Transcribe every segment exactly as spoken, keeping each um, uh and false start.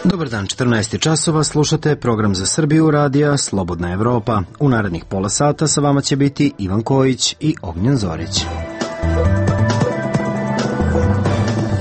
Dobar dan, četrnaest časova, slušate program za Srbiju radija Slobodna Evropa. U narednih pola sata sa vama će biti Ivan Kojić i Ognjen Zorić.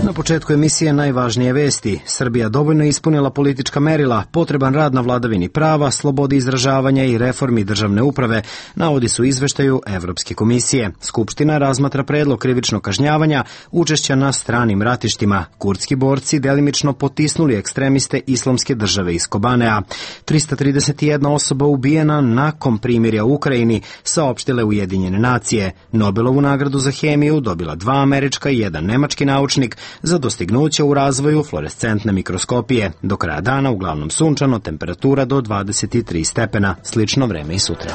Na početku emisije najvažnije vesti. Srbija dovoljno ispunila politička merila, potreban rad na vladavini prava, slobodi izražavanja i reformi državne uprave, navodi su u izveštaju Evropske komisije. Skupština razmatra predlog krivičnog kažnjavanja učešća na stranim ratištima. Kurdski borci delimično potisnuli ekstremiste Islamske države iz Kobanea. trista trideset jedna osoba ubijena nakon primirja u Ukrajini, saopštile Ujedinjene nacije. Nobelovu nagradu za hemiju dobila dva američka i jedan nemački naučnik za dostignuće u razvoju fluorescentne mikroskopije. Do kraja dana uglavnom sunčano, temperatura do dvadeset tri stepena, slično vreme i sutra.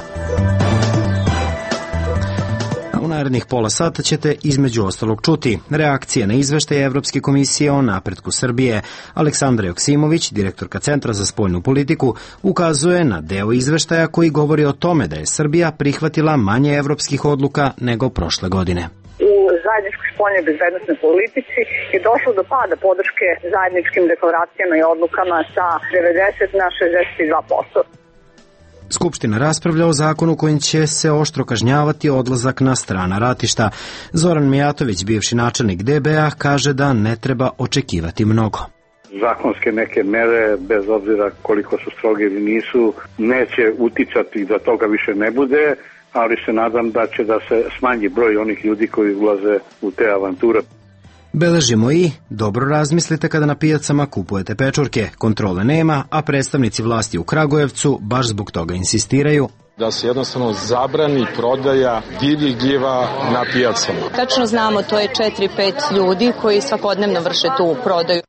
U narednih pola sata ćete između ostalog čuti reakcije na izveštaje Evropske komisije o napretku Srbije. Aleksandra Joksimović, direktorka Centra za spoljnu politiku, ukazuje na deo izveštaja koji govori o tome da je Srbija prihvatila manje evropskih odluka nego prošle godine. U zajedničkoj spoljnoj bezbednosnoj politici je došlo do pada podrške zajedničkim deklaracijama i odlukama sa devedeset na šezdeset dva posto. Skupština raspravlja o zakonu kojim će se oštro kažnjavati odlazak na strana ratišta. Zoran Mijatović, bivši načelnik D B A, kaže da ne treba očekivati mnogo. Zakonske neke mere, bez obzira koliko su stroge ili nisu, neće uticati da toga više ne bude, ali se nadam da će da se smanji broj onih ljudi koji ulaze u te avanture. Beležimo i dobro razmislite kada na pijacama kupujete pečurke. Kontrole nema, a predstavnici vlasti u Kragujevcu baš zbog toga insistiraju da se jednostavno zabrani prodaja divljih gljiva na pijacama. Tačno znamo, to je četiri pet ljudi koji svakodnevno vrše tu prodaju.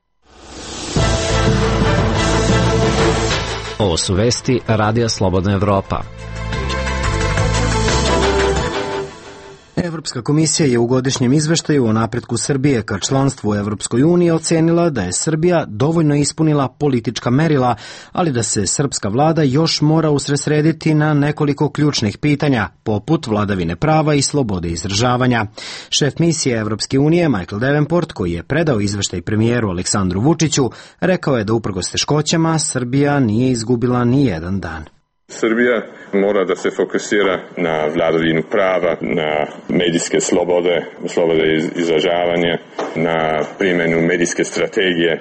Ovo su vesti Radija Slobodna Evropa. Evropska komisija je u godišnjem izveštaju o napretku Srbije ka članstvu u Evropskoj uniji ocenila da je Srbija dovoljno ispunila politička merila, ali da se srpska vlada još mora usredsrediti na nekoliko ključnih pitanja, poput vladavine prava i slobode izražavanja. Šef misije Evropske unije Michael Davenport, koji je predao izveštaj premijeru Aleksandru Vučiću, rekao je da uprkos teškoćama Srbija nije izgubila ni jedan dan. Srbija mora da se fokusira na vladavinu prava, na medijske slobode, slobode izražavanja, na primjenu medijske strategije,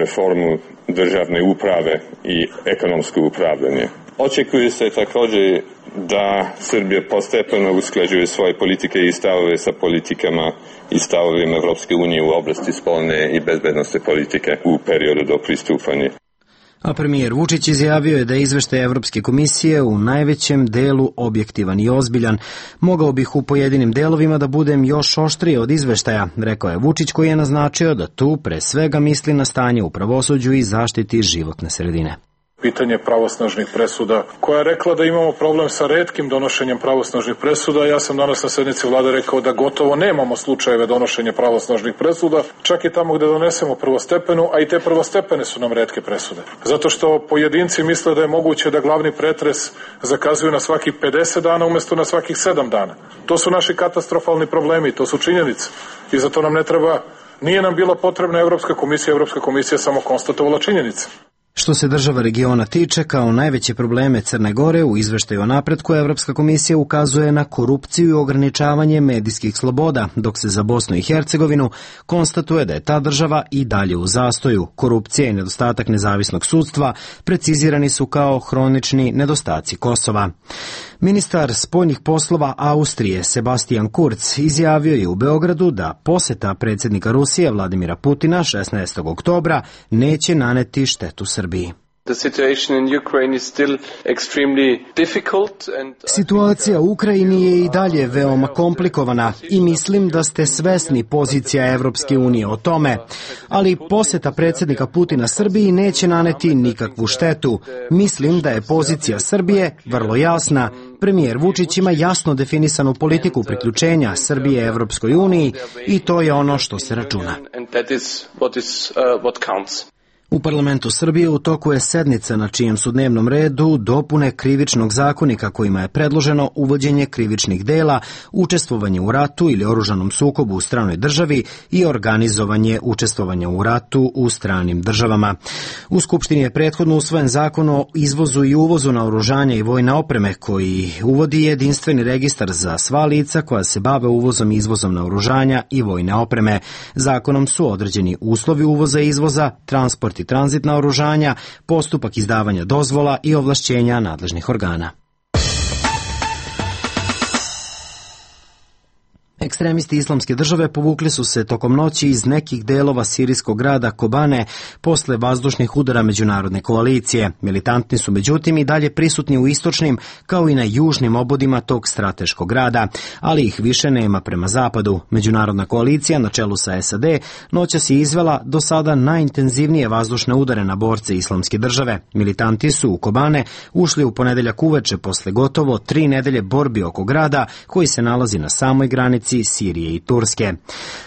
reformu državne uprave i ekonomsko upravljanje. Očekuje se također da Srbija postepeno usklađuje svoje politike i stavove sa politikama i stavovima Evropske unije u oblasti spoljne i bezbednosne politike u periodu do pristupanja. A premijer Vučić izjavio je da je izveštaj Evropske komisije u najvećem delu objektivan i ozbiljan. Mogao bih u pojedinim delovima da budem još oštriji od izveštaja, rekao je Vučić, koji je naznačio da tu pre svega misli na stanje u pravosuđu i zaštiti životne sredine. Pitanje pravosnažnih presuda, koja je rekla da imamo problem sa retkim donošenjem pravosnažnih presuda. Ja sam danas na sednici vlade rekao da gotovo nemamo slučajeve donošenja pravosnažnih presuda, čak i tamo gde donesemo prvostepenu, a i te prvostepene su nam retke presude. Zato što pojedinci misle da je moguće da glavni pretres zakazuju na svakih pedeset dana umesto na svakih sedam dana. To su naši katastrofalni problemi, to su činjenice. I zato nam ne treba, nije nam bila potrebna Evropska komisija, Evropska komisija samo konstatovala činjenice. Što se država regiona tiče, kao najveće probleme Crne Gore, u izveštaju o napretku Evropska komisija ukazuje na korupciju i ograničavanje medijskih sloboda, dok se za Bosnu i Hercegovinu konstatuje da je ta država i dalje u zastoju. Korupcija i nedostatak nezavisnog sudstva precizirani su kao hronični nedostaci Kosova. Ministar spoljnih poslova Austrije Sebastian Kurz izjavio je u Beogradu da poseta predsjednika Rusije Vladimira Putina šesnaestog oktobra neće naneti štetu Srbiji. Situacija u Ukrajini je i dalje veoma komplikovana i mislim da ste svesni pozicija Evropske unije o tome, ali poseta predsjednika Putina Srbiji neće naneti nikakvu štetu. Mislim da je pozicija Srbije vrlo jasna. Premijer Vučić ima jasno definisanu politiku priključenja Srbije Evropskoj uniji i to je ono što se računa. U parlamentu Srbije u toku je sednica na čijem su dnevnom redu dopune krivičnog zakonika kojima je predloženo uvođenje krivičnih dela, učestvovanje u ratu ili oružanom sukobu u stranoj državi i organizovanje učestvovanja u ratu u stranim državama. U Skupštini je prethodno usvojen zakon o izvozu i uvozu naoružanja i vojne opreme koji uvodi jedinstveni registar za sva lica koja se bave uvozom i izvozom naoružanja i vojne opreme. Zakonom su određeni uslovi uvoza i izvoza, transport i tranzit naoružanja, postupak izdavanja dozvola i ovlašćenja nadležnih organa. Ekstremisti Islamske države povukli su se tokom noći iz nekih delova sirijskog grada Kobane posle vazdušnih udara međunarodne koalicije. Militantni su međutim i dalje prisutni u istočnim kao i na južnim obodima tog strateškog grada, ali ih više nema prema zapadu. Međunarodna koalicija na čelu sa S A D noćas je izvela do sada najintenzivnije vazdušne udare na borce Islamske države. Militanti su u Kobane ušli u ponedeljak uveče posle gotovo tri nedelje borbi oko grada koji se nalazi na samoj granici Sirije i Turske.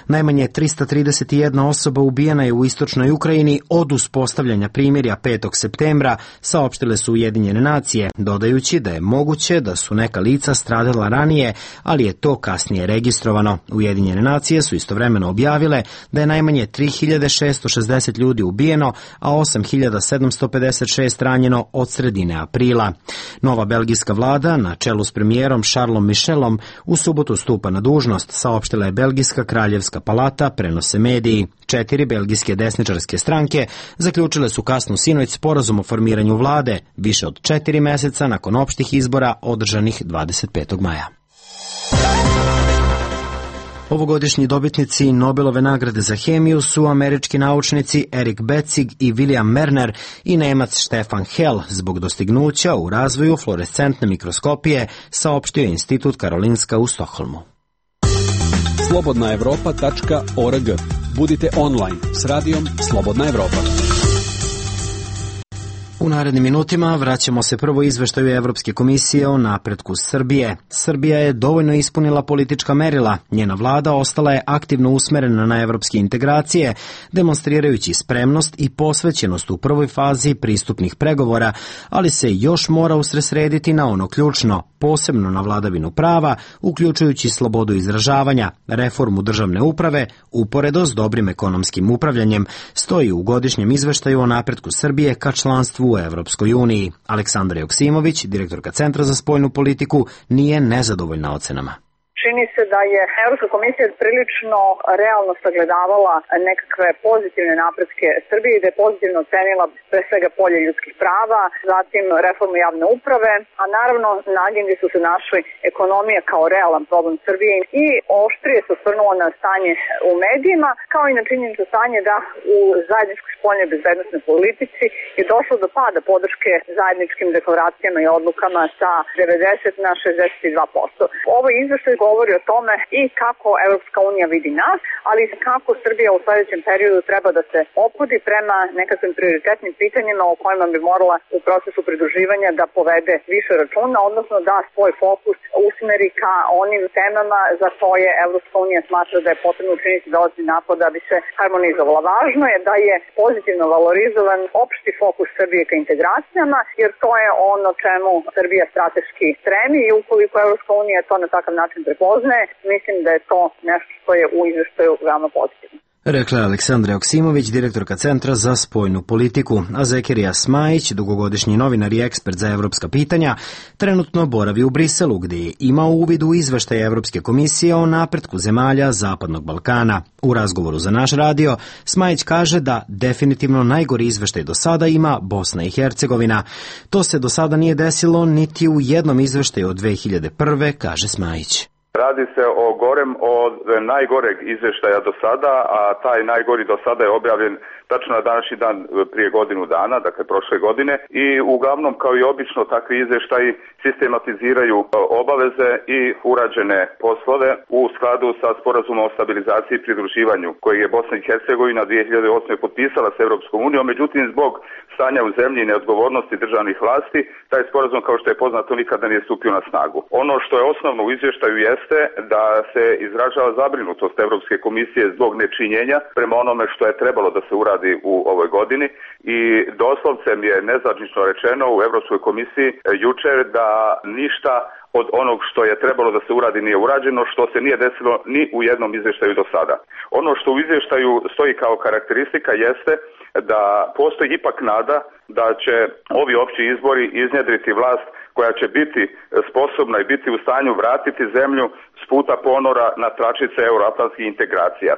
Najmanje trista trideset jedna osoba ubijena je u istočnoj Ukrajini od uspostavljanja primirja petog septembra, saopštile su Ujedinjene nacije, dodajući da je moguće da su neka lica stradala ranije, ali je to kasnije registrovano. Ujedinjene nacije su istovremeno objavile da je najmanje tri hiljade šesto šezdeset ljudi ubijeno, a osam hiljada sedamsto pedeset šest ranjeno od sredine aprila. Nova belgijska vlada, na čelu s premijerom Charlesom Michelom, u subotu stupa na dužnost, saopštila je Belgijska kraljevska palata, prenose mediji. Četiri belgijske desničarske stranke zaključile su kasno sinoć sporazum o formiranju vlade, više od četiri meseca nakon opštih izbora održanih dvadeset petog maja. Ovogodišnji dobitnici Nobelove nagrade za hemiju su američki naučnici Erik Becig i William Merner i Nemac Stefan Hell zbog dostignuća u razvoju fluorescentne mikroskopije, saopštio je Institut Karolinska u Stokholmu. slobodna evropa tačka org. Budite online s radijom Slobodna Evropa. U narednim minutima vraćamo se prvo izveštaju Evropske komisije o napretku Srbije. Srbija je dovoljno ispunila politička merila. Njena vlada ostala je aktivno usmerena na evropske integracije, demonstrirajući spremnost i posvećenost u prvoj fazi pristupnih pregovora, ali se još mora usredsrediti na ono ključno, posebno na vladavinu prava, uključujući slobodu izražavanja, reformu državne uprave, uporedo s dobrim ekonomskim upravljanjem, stoji u godišnjem izveštaju o napretku Srbije ka članstvu u Evropskoj uniji. Aleksandra Joksimović, direktorka Centra za spoljnu politiku, nije nezadovoljna ocenama. Čini se da je Evropska komisija prilično realno sagledavala nekakve pozitivne napretke Srbije i da je pozitivno ocenila pre svega polje ljudskih prava, zatim reformu javne uprave, a naravno na agendi su se našli ekonomija kao realan problem Srbije i oštrije se osvrnulo na stanje u medijima, kao i na činjenično stanje da u zajedničkoj spoljnoj bezbednosnoj politici je došlo do pada podrške zajedničkim deklaracijama i odlukama sa devedeset na šezdeset dva posto. Ovo izveštaj govori o tome i kako Evropska unija vidi nas, ali i kako Srbija u sledećem periodu treba da se ophodi prema nekakvim prioritetnim pitanjima o kojima bi morala u procesu pridruživanja da povede više računa, odnosno da svoj fokus usmeri ka onim temama za koje Evropska unija smatra da je potrebno učiniti dodatni napor da bi se harmonizovala. Važno je da je pozitivno valorizovan opšti fokus Srbije ka integracijama, jer to je ono čemu Srbija strateški stremi i ukoliko Evropska unija to na takav način prepoznaje, mislim da je to nešto što je u izveštaju veoma pozitivno. Rekla je Aleksandra Joksimović, direktorka Centra za spoljnu politiku, a Zekirija Smajić, dugogodišnji novinar i ekspert za evropska pitanja, trenutno boravi u Briselu, gdje je imao uvid u izveštaj Evropske komisije o napretku zemalja Zapadnog Balkana. U razgovoru za naš radio, Smajić kaže da definitivno najgori izveštaj do sada ima Bosna i Hercegovina. To se do sada nije desilo niti u jednom izveštaju od dve hiljade prve, kaže Smajić. Radi se o gorem od najgoreg izveštaja do sada, a taj najgori do sada je objavljen tačno na današnji dan prije godinu dana, dakle prošle godine, i uglavnom kao i obično takvi izveštaji sistematiziraju obaveze i urađene poslove u skladu sa sporazumom o stabilizaciji i pridruživanju koji je Bosna i Hercegovina dve hiljade osme potpisala s Evropskom unijom, međutim zbog stanja u zemlji i neodgovornosti državnih vlasti, taj sporazum kao što je poznato nikada nije stupio na snagu. Ono što je osnovno u izvještaju jeste da se izražava zabrinutost Evropske komisije zbog nečinjenja prema onome što je trebalo da se uradi uradi u ovoj godini i doslovce mi je nezvanično rečeno u Europskoj komisiji jučer da ništa od onog što je trebalo da se uradi nije urađeno, što se nije desilo ni u jednom izvještaju do sada. Ono što u izvještaju stoji kao karakteristika jeste da postoji ipak nada da će ovi opći izbori iznjedriti vlast koja će biti sposobna i biti u stanju vratiti zemlju s puta ponora na tračice euroatlantskih integracija.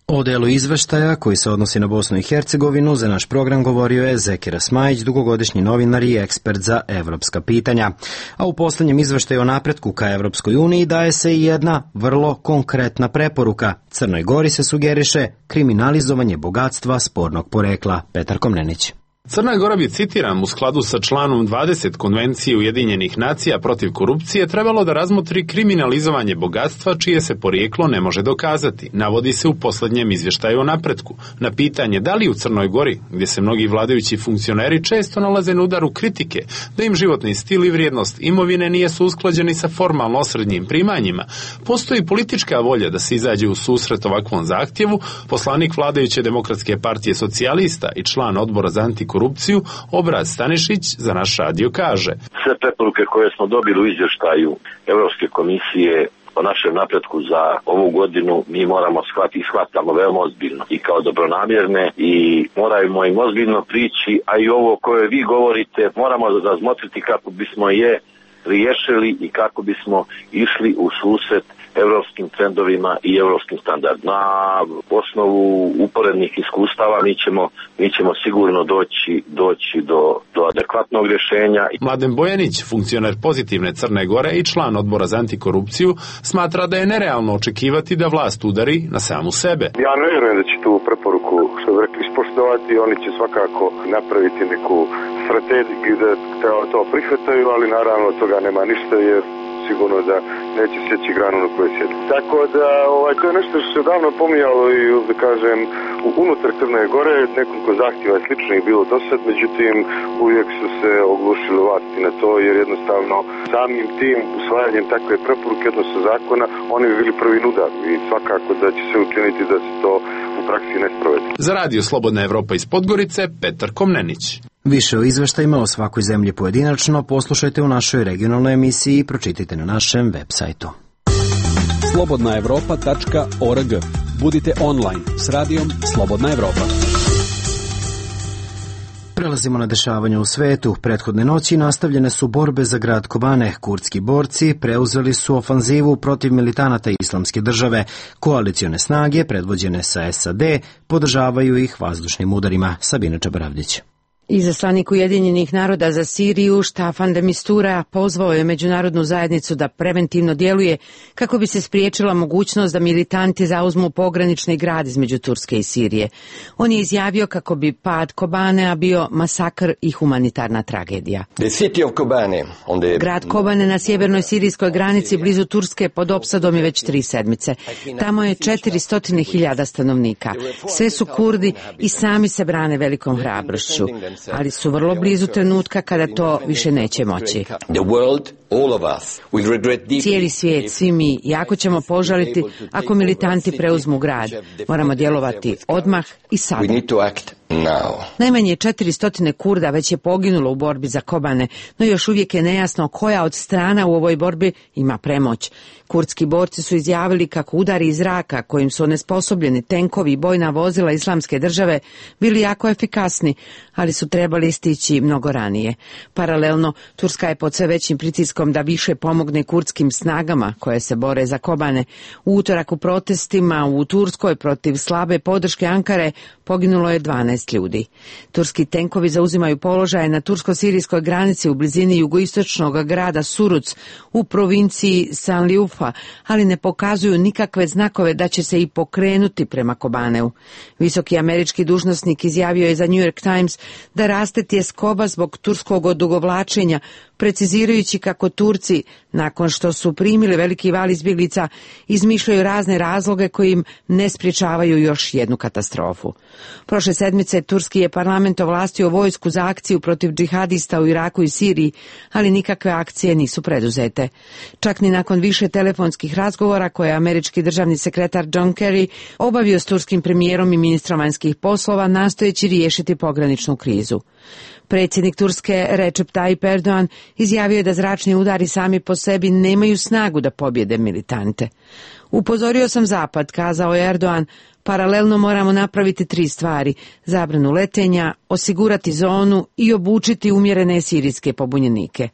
O delu izveštaja koji se odnosi na Bosnu i Hercegovinu za naš program govorio je Zekira Smajić, dugogodišnji novinar i ekspert za evropska pitanja. A u posljednjem izveštaju o napretku ka Evropskoj uniji daje se i jedna vrlo konkretna preporuka. Crnoj Gori se sugeriše kriminalizovanje bogatstva spornog porekla. Petar Komnenić. Crna Gora bi, citiram, u skladu sa članom dvadeset Konvencije Ujedinjenih nacija protiv korupcije trebalo da razmotri kriminalizovanje bogatstva čije se porijeklo ne može dokazati, navodi se u posljednjem izvještaju o napretku. Na pitanje da li u Crnoj Gori, gdje se mnogi vladajući funkcioneri često nalaze na udaru kritike, da im životni stil i vrijednost imovine nijesu usklađeni sa formalno osrednjim primanjima, postoji politička volja da se izađe u susret ovakvom zahtjevu, poslanik vladajuće Demokratske partije socijalista i član odbora za antikorupciju korupciju, Obraz Stanišić za naš radio kaže. Sve preporuke koje smo dobili u izvještaju Europske komisije o našem napretku za ovu godinu mi moramo shvatiti i shvatamo veoma ozbiljno i kao dobronamjerne i moramo im ozbiljno prići, a i ovo koje vi govorite moramo razmotriti kako bismo je riješili i kako bismo išli u susret europskim trendovima i europskim standardima. Na osnovu uporednih iskustava mi ćemo, mi ćemo sigurno doći, doći do, do adekvatnog rješenja. Mladen Bojanić, funkcioner Pozitivne Crne Gore i član odbora za antikorupciju, smatra da je nerealno očekivati da vlast udari na samu sebe. Ja ne vjerujem da će tu preporuku, što bi rekli, ispoštovati. Oni će svakako napraviti neku strategiju da to prihvataju, ali naravno od toga nema ništa jer sigurno da neće sjeći granu na kojoj sjedi. Tako da ovaj, to je nešto što se davno pominjalo i da kažem unutar Crne Gore, nekoliko zahtjeva je sličnih bilo do sad, međutim uvijek su se oglušili vlasti na to jer jednostavno samim tim usvajanjem takve preporuke odnosno zakona oni bi bili prvi udar i svakako da će se učiniti da se to u praksi ne sprovede. Za radio Slobodna Evropa iz Podgorice, Petar Komnenić. Više o izveštajima o svakoj zemlji pojedinačno poslušajte u našoj regionalnoj emisiji i pročitajte na našem web sajtu. slobodna evropa tačka org. Budite online s radijom Slobodna Evropa. Prelazimo na dešavanje u svetu. Prethodne noći nastavljene su borbe za grad Kobane. Kurdski borci preuzeli su ofanzivu protiv militanata Islamske države. Koalicione snage, predvođene sa S A D, podržavaju ih vazdušnim udarima. Sabina Čabaravdić. Izaslanik Ujedinjenih naroda za Siriju Staffan de Mistura pozvao je međunarodnu zajednicu da preventivno djeluje kako bi se spriječila mogućnost da militanti zauzmu pogranični grad između Turske i Sirije. On je izjavio kako bi pad Kobanea bio masakr i humanitarna tragedija. Grad Kobane na sjevernoj sirijskoj granici blizu Turske pod opsadom je već tri sedmice. Tamo je četiristo hiljada stanovnika. Sve su Kurdi i sami se brane velikom hrabrošću. Ali su vrlo blizu trenutka kada to više neće moći. Cijeli svijet, svi mi, jako ćemo požaliti ako militanti preuzmu grad. Moramo djelovati odmah i sada. Najmanje četiristo Kurda već je poginulo u borbi za Kobane, no još uvijek je nejasno koja od strana u ovoj borbi ima premoć. Kurdski borci su izjavili kako udari iz zraka kojim su onesposobljeni tenkovi i bojna vozila Islamske države bili jako efikasni, ali su trebali stići mnogo ranije. Paralelno, Turska je pod sve većim pritiskom da više pomogne kurdskim snagama koje se bore za Kobane. U utorak u protestima u Turskoj protiv slabe podrške Ankare poginulo je dvanaest ljudi. Turski tenkovi zauzimaju položaje na tursko-sirijskoj granici u blizini jugoistočnog grada Suruc u provinciji Sanliufa, ali ne pokazuju nikakve znakove da će se i pokrenuti prema Kobaneu. Visoki američki dužnosnik izjavio je za New York Times da raste tjeskoba zbog turskog odugovlačenja, precizirajući kako Turci nakon što su primili veliki val izbjeglica, izmišljaju razne razloge koji im ne spriječavaju još jednu katastrofu. Prošle sedmice turski je parlament ovlastio vojsku za akciju protiv džihadista u Iraku i Siriji, ali nikakve akcije nisu preduzete. Čak ni nakon više telefonskih razgovora koje je američki državni sekretar John Kerry obavio s turskim premijerom i ministrom vanjskih poslova nastojeći riješiti pograničnu krizu. Predsjednik Turske Recep Tayyip Erdogan izjavio je da zračni udari sami po sebi nemaju snagu da pobjede militante. Upozorio sam Zapad, kazao je Erdogan, paralelno moramo napraviti tri stvari: zabranu letenja, osigurati zonu i obučiti umjerene sirijske pobunjenike.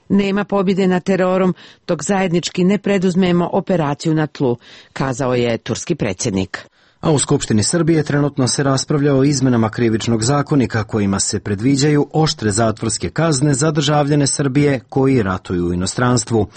Nema pobjede nad terorom dok zajednički ne preduzmemo operaciju na tlu, kazao je turski predsjednik. A u Skupštini Srbije trenutno se raspravlja o izmenama krivičnog zakonika kojima se predviđaju oštre zatvorske kazne za državljane Srbije koji ratuju u inostranstvu.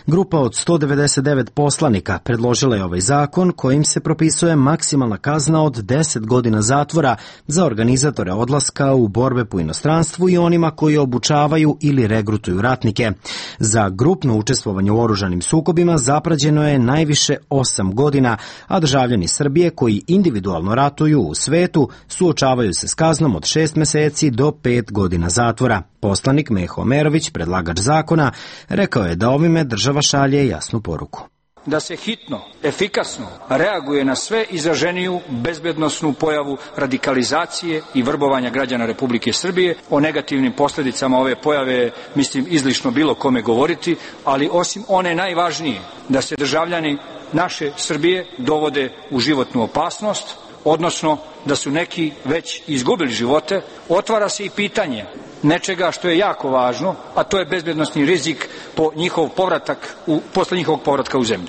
Grupa od sto devedeset devet poslanika predložila je ovaj zakon kojim se propisuje maksimalna kazna od deset godina zatvora za organizatore odlaska u borbe po inostranstvu i onima koji obučavaju ili regrutuju ratnike. Za grupno učestvovanje u oružanim sukobima zaprađeno je najviše osam godina, a državljani Srbije koji individualno ratuju u svetu suočavaju se s kaznom od šest meseci do pet godina zatvora. Poslanik Meho Omerović, predlagač zakona, rekao je da ovime država šalje jasnu poruku. Da se hitno, efikasno reaguje na sve izraženiju bezbednosnu pojavu radikalizacije i vrbovanja građana Republike Srbije. O negativnim posljedicama ove pojave mislim izlišno bilo kome govoriti, ali osim one najvažnije, da se državljani naše Srbije dovode u životnu opasnost, odnosno da su neki već izgubili živote, otvara se i pitanje nečega što je jako važno, a to je bezbednosni rizik po njihov povratak u, posle njihovog povratka u zemlju.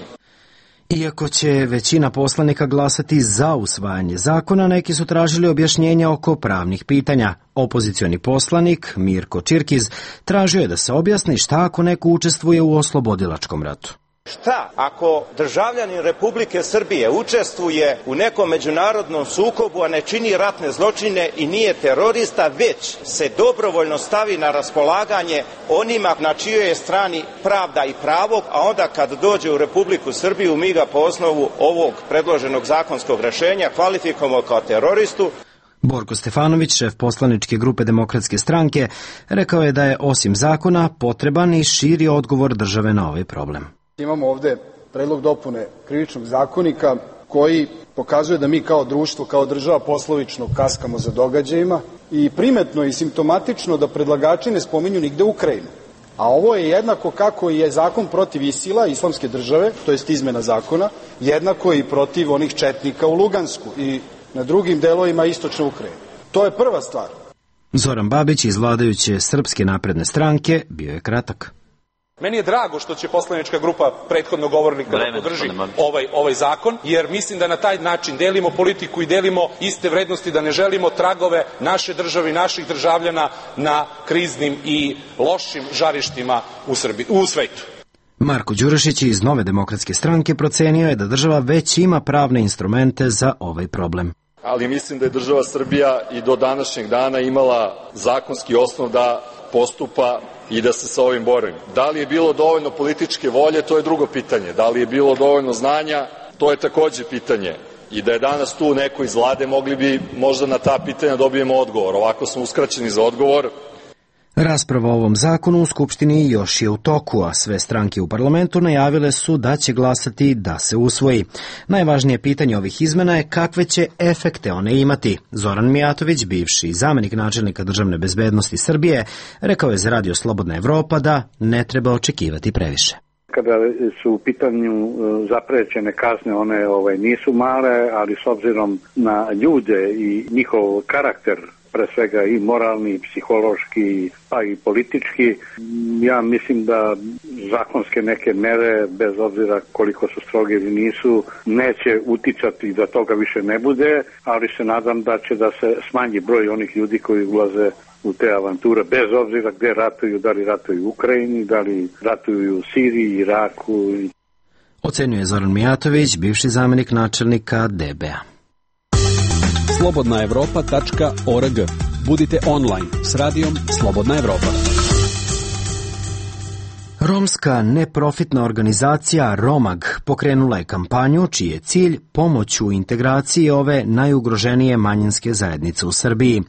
Iako će većina poslanika glasati za usvajanje zakona, neki su tražili objašnjenja oko pravnih pitanja. Opozicioni poslanik Mirko Čirkiz tražio je da se objasni šta ako neko učestvuje u oslobodilačkom ratu. Šta ako državljanin Republike Srbije učestvuje u nekom međunarodnom sukobu, a ne čini ratne zločine i nije terorista, već se dobrovoljno stavi na raspolaganje onima na čijoj je strani pravda i pravo, a onda kad dođe u Republiku Srbiju mi ga po osnovu ovog predloženog zakonskog rešenja kvalifikujemo kao teroristu. Borko Stefanović, šef poslaničke grupe Demokratske stranke, rekao je da je osim zakona potreban i širi odgovor države na ovaj problem. Imamo ovde predlog dopune krivičnog zakonika koji pokazuje da mi kao društvo, kao država poslovično kaskamo za događajima i primetno i simptomatično da predlagači ne spominju nigde Ukrajinu. A ovo je jednako kako je zakon protiv Isila, islamske države, to jest izmena zakona, jednako i protiv onih četnika u Lugansku i na drugim delovima istočne Ukrajine. To je prva stvar. Zoran Babić iz vladajuće Srpske napredne stranke bio je kratak. Meni je drago što će poslanička grupa prethodnog govornika da podrži ovaj, ovaj zakon, jer mislim da na taj način delimo politiku i delimo iste vrednosti, da ne želimo tragove naše države i naših državljana na kriznim i lošim žarištima u Srbiji, u svetu. Marko Đurišić iz Nove demokratske stranke procenio je da država već ima pravne instrumente za ovaj problem. Ali mislim da je država Srbija i do današnjeg dana imala zakonski osnov da postupa i da se sa ovim bori. Da li je bilo dovoljno političke volje, to je drugo pitanje. Da li je bilo dovoljno znanja, to je takođe pitanje. I da je danas tu neko iz vlade, mogli bi možda na ta pitanja dobijemo odgovor. Ovako smo uskraćeni za odgovor. Rasprava o ovom zakonu u Skupštini još je u toku, a sve stranke u parlamentu najavile su da će glasati da se usvoji. Najvažnije pitanje ovih izmena je kakve će efekte one imati. Zoran Mijatović, bivši zamenik načelnika državne bezbednosti Srbije, rekao je za Radio Slobodna Evropa da ne treba očekivati previše. Kada su u pitanju zaprećene kazne, one ovaj, nisu male, ali s obzirom na ljude i njihov karakter, pre svega i moralni, i psihološki, pa i politički, ja mislim da zakonske neke mere, bez obzira koliko su stroge ili nisu, neće uticati da toga više ne bude, ali se nadam da će da se smanji broj onih ljudi koji ulaze u te avanture, bez obzira gde ratuju, da li ratuju u Ukrajini, da li ratuju u Siriji, Iraku. Ocenjuje Zoran Mijatović, bivši zamenik načelnika D B A. slobodna evropa tačka org. Budite online s radijom Slobodna Evropa. Romska neprofitna organizacija Romag pokrenula je kampanju čiji je cilj pomoć u integraciji ove najugroženije manjinske zajednice u Srbiji.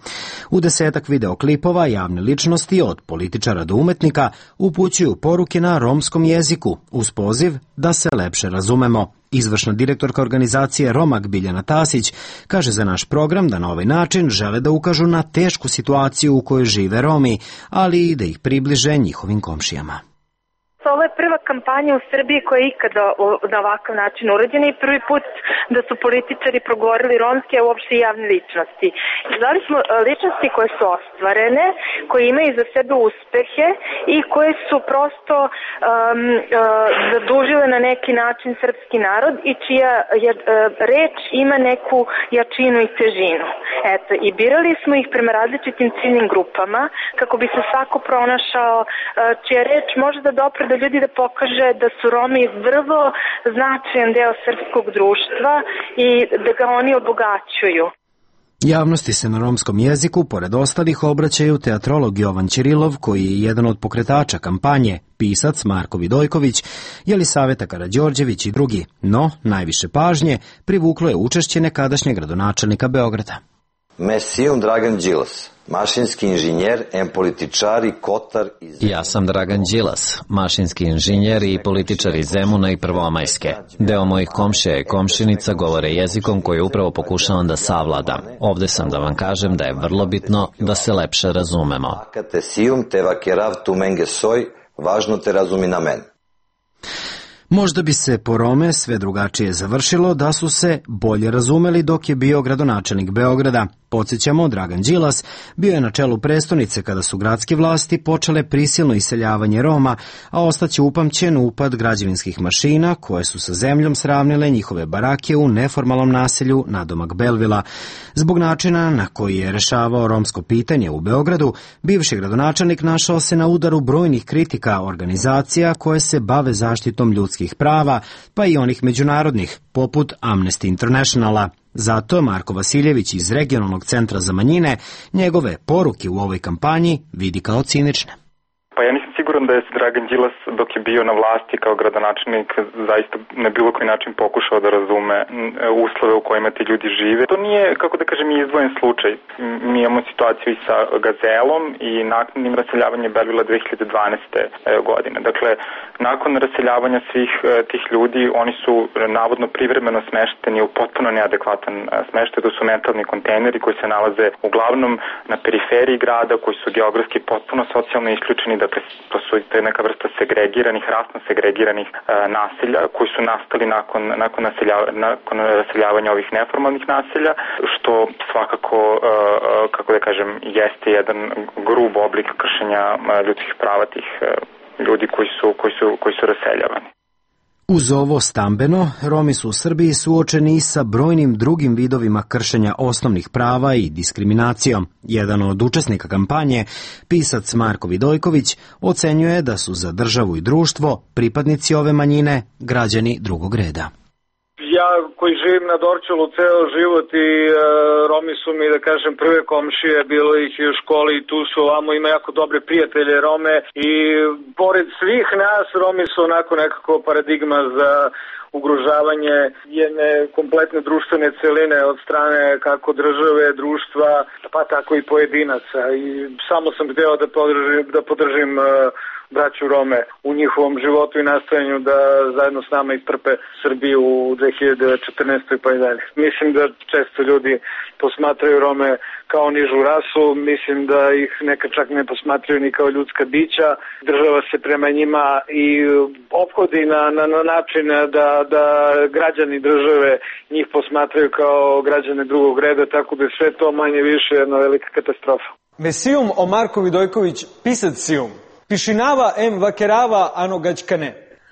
U desetak videoklipova javne ličnosti od političara do umetnika upućuju poruke na romskom jeziku uz poziv da se lepše razumemo. Izvršna direktorka organizacije Romag Biljana Tasić kaže za naš program da na ovaj način žele da ukažu na tešku situaciju u kojoj žive Romi, ali i da ih približe njihovim komšijama. Ovo je prva kampanja u Srbiji koja je ikada na ovakav način urađena i prvi put da su političari progovorili romski, a uopšte i javne ličnosti. Zvali smo ličnosti koje su ostvarene, koje imaju za sebe uspehe i koje su prosto um, uh, zadužile na neki način srpski narod i čija je, uh, reč ima neku jačinu i težinu. Eto, i birali smo ih prema različitim ciljnim grupama kako bi se svako pronašao uh, čija reč može da dopre do ljudi da pokaže da su Romi vrlo značajan deo srpskog društva i da ga oni obogaćuju. Javnosti se na romskom jeziku, pored ostalih, obraćaju teatrolog Jovan Ćirilov, koji je jedan od pokretača kampanje, pisac Marko Vidojković, Jelisaveta Karađorđević i drugi, no najviše pažnje privuklo je učešće nekadašnjeg gradonačelnika Beograda. Mesijum Dragan Đilas, mašinski inženjer, em političar i kotar iz... Ja sam Dragan Đilas, mašinski inženjer i političar iz Zemuna i Prvomajske. Deo mojih komšija i komšinica govore jezikom koji upravo pokušavam da savladam. Ovde sam da vam kažem da je vrlo bitno da se lepše razumemo. Akate sijum te vakerav tu menge soj, važno te razumi na men. Možda bi se po Rome sve drugačije završilo da su se bolje razumeli dok je bio gradonačelnik Beograda. Podsjećamo, Dragan Đilas bio je na čelu prestonice kada su gradske vlasti počele prisilno iseljavanje Roma, a ostaće upamćen upad građevinskih mašina koje su sa zemljom sravnile njihove barake u neformalnom naselju nadomak Belvila. Zbog načina na koji je rešavao romsko pitanje u Beogradu, bivši gradonačelnik našao se na udaru brojnih kritika organizacija koje se bave zaštitom ljudskih prava, pa i onih međunarodnih, poput Amnesty Internationala. Zato Marko Vasiljević iz Regionalnog centra za manjine njegove poruke u ovoj kampanji vidi kao cinične. Pa ja nisam siguran da je Dragan Đilas dok je bio na vlasti kao gradonačelnik zaista na bilo koji način pokušao da razume uslove u kojima ti ljudi žive. To nije, kako da kažem, izdvojen slučaj. Mi imamo situaciju i sa Gazelom i naknadnim raseljavanjem Belvila dve hiljade dvanaeste. godine. Dakle, nakon raseljavanja svih tih ljudi, oni su navodno privremeno smešteni u potpuno neadekvatan smeštaj. To su mentalni kontejneri koji se nalaze uglavnom na periferiji grada, koji su geografski potpuno socijalno isključeni. Dakle, to su neka vrsta segregiranih, rasno segregiranih e, naselja koji su nastali nakon, nakon, naselja, nakon raseljavanja ovih neformalnih naselja, što svakako, e, kako da kažem, jeste jedan grub oblik kršenja ljudskih prava tih e, ljudi koji su, koji su, koji su raseljavani. Uz ovo stambeno, Romi su u Srbiji suočeni i sa brojnim drugim vidovima kršenja osnovnih prava i diskriminacijom. Jedan od učesnika kampanje, pisac Marko Vidojković, ocenjuje da su za državu i društvo pripadnici ove manjine građani drugog reda. Ja koji živim na Dorćolu ceo život i e, Romi su mi, da kažem, prve komšije, bilo ih i u školi i tu su ovamo, ima jako dobre prijatelje Rome i pored svih nas Romi su onako nekako paradigma za ugrožavanje jedne kompletne društvene celine od strane kako države, društva, pa tako i pojedinaca. I samo sam hteo da podržim, da podržim uh, braću Rome u njihovom životu i nastojanju da zajedno s nama istrpe Srbiju u dve hiljade četrnaestoj pa i dalje. Mislim da često ljudi posmatraju Rome kao nižu rasu, mislim da ih neka čak ne posmatraju ni kao ljudska bića. Država se prema njima i ophodi na, na, na način da, da građani države njih posmatraju kao građane drugog reda, tako da je sve to manje više jedna velika katastrofa. Mesijum Omarko Vidojković, pisac Sijum. Pišinava em vakerava anogaćkane.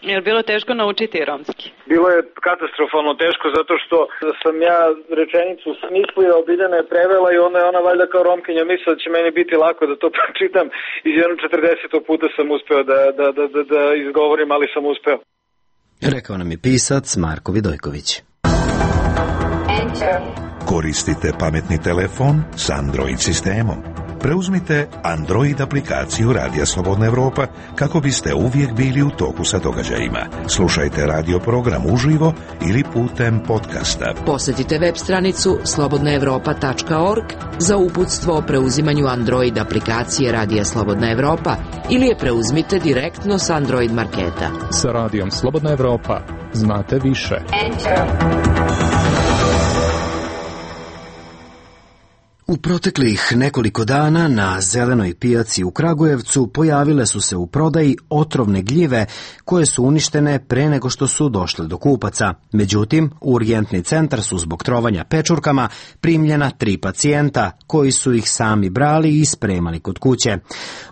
Je li bilo teško naučiti romski? Bilo je katastrofalno teško zato što sam ja rečenicu smislio, Biljana je prevela i onda je ona valjda kao Romkinja mislila da će meni biti lako da to pročitam i jedno četrdesetog puta sam uspeo da, da, da, da, da izgovorim, ali sam uspeo. Rekao nam je pisac Marko Vidojković. Koristite pametni telefon s Android sistemom. Preuzmite Android aplikaciju Radija Slobodna Evropa kako biste uvijek bili u toku sa događajima. Slušajte radio program uživo ili putem podcasta. Posjetite web stranicu slobodna evropa tačka org za uputstvo o preuzimanju Android aplikacije Radija Slobodna Evropa ili je preuzmite direktno s Android marketa. Sa Radijom Slobodna Evropa znate više. U proteklih nekoliko dana na zelenoj pijaci u Kragujevcu pojavile su se u prodaji otrovne gljive koje su uništene pre nego što su došle do kupaca. Međutim, u urgentni centar su zbog trovanja pečurkama primljena tri pacijenta koji su ih sami brali i spremali kod kuće.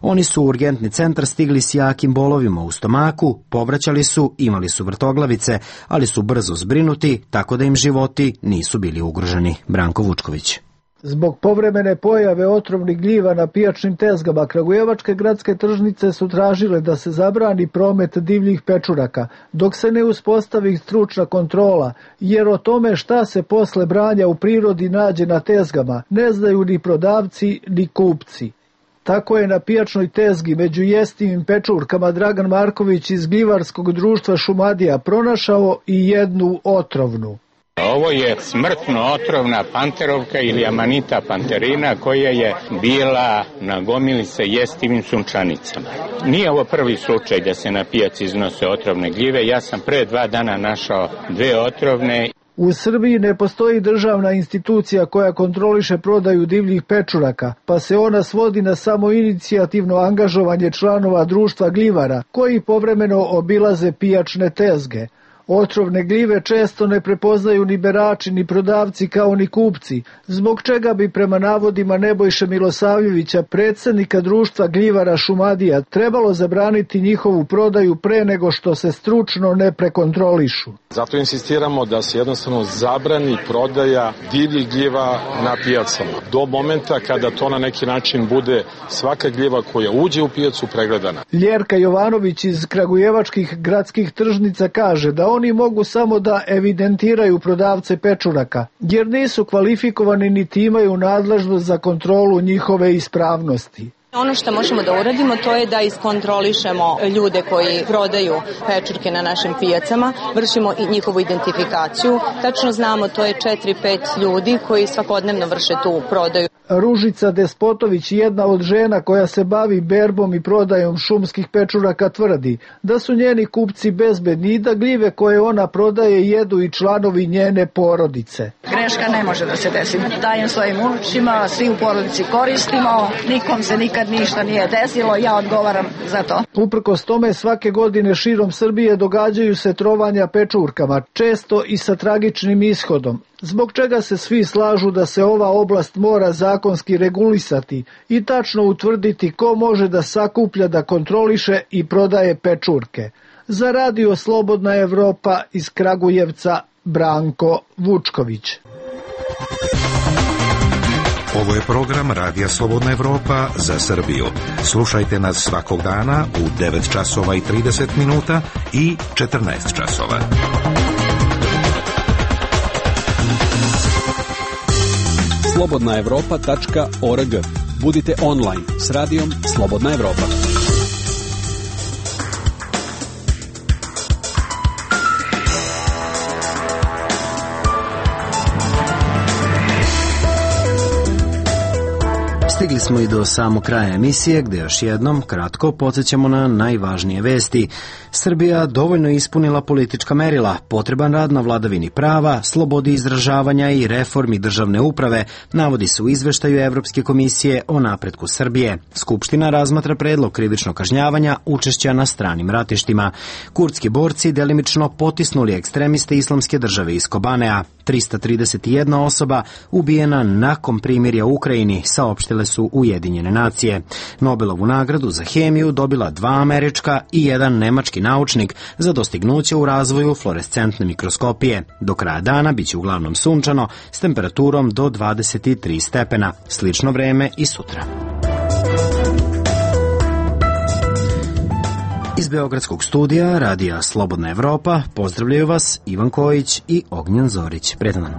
Oni su u urgentni centar stigli s jakim bolovima u stomaku, povraćali su, imali su vrtoglavice, ali su brzo zbrinuti, tako da im životi nisu bili ugroženi. Branko Vučković. Zbog povremene pojave otrovnih gljiva na pijačnim tezgama, kragujevačke gradske tržnice su tražile da se zabrani promet divljih pečuraka, dok se ne uspostavi stručna kontrola, jer o tome šta se posle branja u prirodi nađe na tezgama ne znaju ni prodavci ni kupci. Tako je na pijačnoj tezgi među jestivim pečurkama Dragan Marković iz gljivarskog društva Šumadija pronašao i jednu otrovnu. Ovo je smrtno otrovna panterovka ili Amanita panterina koja je bila na gomili sa jestivim sunčanicama. Nije ovo prvi slučaj da se na pijaci iznose otrovne gljive. Ja sam pre dva dana našao dve otrovne. U Srbiji ne postoji državna institucija koja kontroliše prodaju divljih pečuraka, pa se ona svodi na samo inicijativno angažovanje članova društva gljivara, koji povremeno obilaze pijačne tezge. Otrovne gljive često ne prepoznaju ni berači, ni prodavci kao ni kupci, zbog čega bi prema navodima Nebojše Milosavljevića, predsjednika društva gljivara Šumadija, trebalo zabraniti njihovu prodaju pre nego što se stručno ne prekontrolišu. Zato insistiramo da se jednostavno zabrani prodaja divljih gljiva na pijacama. Do momenta kada to na neki način bude svaka gljiva koja uđe u pijacu pregledana. Ljerka Jovanović iz kragujevačkih gradskih tržnica kaže da oni mogu samo da evidentiraju prodavce pečuraka, jer nisu kvalifikovani niti imaju nadležnost za kontrolu njihove ispravnosti. Ono što možemo da uradimo to je da iskontrolišemo ljude koji prodaju pečurke na našim pijacama, vršimo i njihovu identifikaciju. Tačno znamo, to je četiri pet ljudi koji svakodnevno vrše tu prodaju. Ružica Despotović, jedna od žena koja se bavi berbom i prodajom šumskih pečuraka, tvrdi da su njeni kupci bezbedni i da gljive koje ona prodaje jedu i članovi njene porodice. Greška ne može da se desi. Dajem svojim unučima, svi u porodici koristimo, nikom se nikad ništa nije desilo, ja odgovaram za to. Uprkos tome, svake godine širom Srbije događaju se trovanja pečurkama, često i sa tragičnim ishodom, zbog čega se svi slažu da se ova oblast mora zakonski regulisati i tačno utvrditi ko može da sakuplja, da kontroliše i prodaje pečurke. Za Radio Slobodna Evropa iz Kragujevca, Branko Vučković. Ovo je program Radija Slobodna Evropa za Srbiju. Slušajte nas svakog dana u devet časova i trideset minuta i četrnaest časova. slobodna evropa tačka org. Budite online s radijom Slobodna Evropa. Stigli smo i do samog kraja emisije, gde još jednom kratko podsjećamo na najvažnije vesti. Srbija dovoljno ispunila politička merila, potreban rad na vladavini prava, slobodi izražavanja i reformi državne uprave, navodi se u izveštaju Evropske komisije o napretku Srbije. Skupština razmatra predlog krivičnog kažnjavanja učešća na stranim ratištima. Kurdski borci delimično potisnuli ekstremiste Islamske države iz Kobanea. trista trideset jedna osoba ubijena nakon primirja u Ukrajini, saopštile su Ujedinjene nacije. Nobelovu nagradu za hemiju dobila dva američka i jedan nemački naučnik za dostignuće u razvoju fluorescentne mikroskopije. Do kraja dana biće uglavnom sunčano s temperaturom do dvadeset tri stepena. Slično vreme i sutra. Iz Beogradskog studija Radija Slobodna Evropa pozdravljaju vas Ivan Kojić i Ognjen Zorić. Predan.